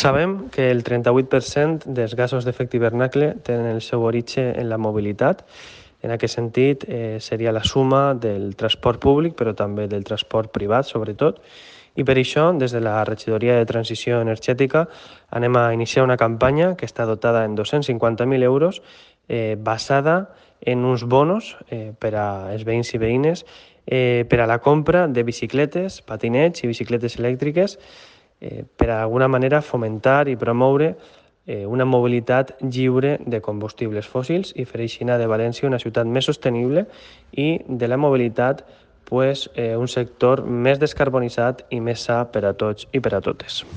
Sabem que el 38% dels gasos d'efecte hivernacle tenen el seu origen en la mobilitat. En aquest sentit, seria la suma del transport públic, però també del transport privat, sobretot. I per això, des de la Regidoria de Transició Energètica, anem a iniciar una campanya que està dotada en 250.000 euros, basada en uns bonos per als veïns i veïnes per a la compra de bicicletes, patinets i bicicletes elèctriques per d'alguna manera fomentar i promoure una mobilitat lliure de combustibles fòssils i fer així de València una ciutat més sostenible i de la mobilitat un sector més descarbonitzat i més sa per a tots i per a totes.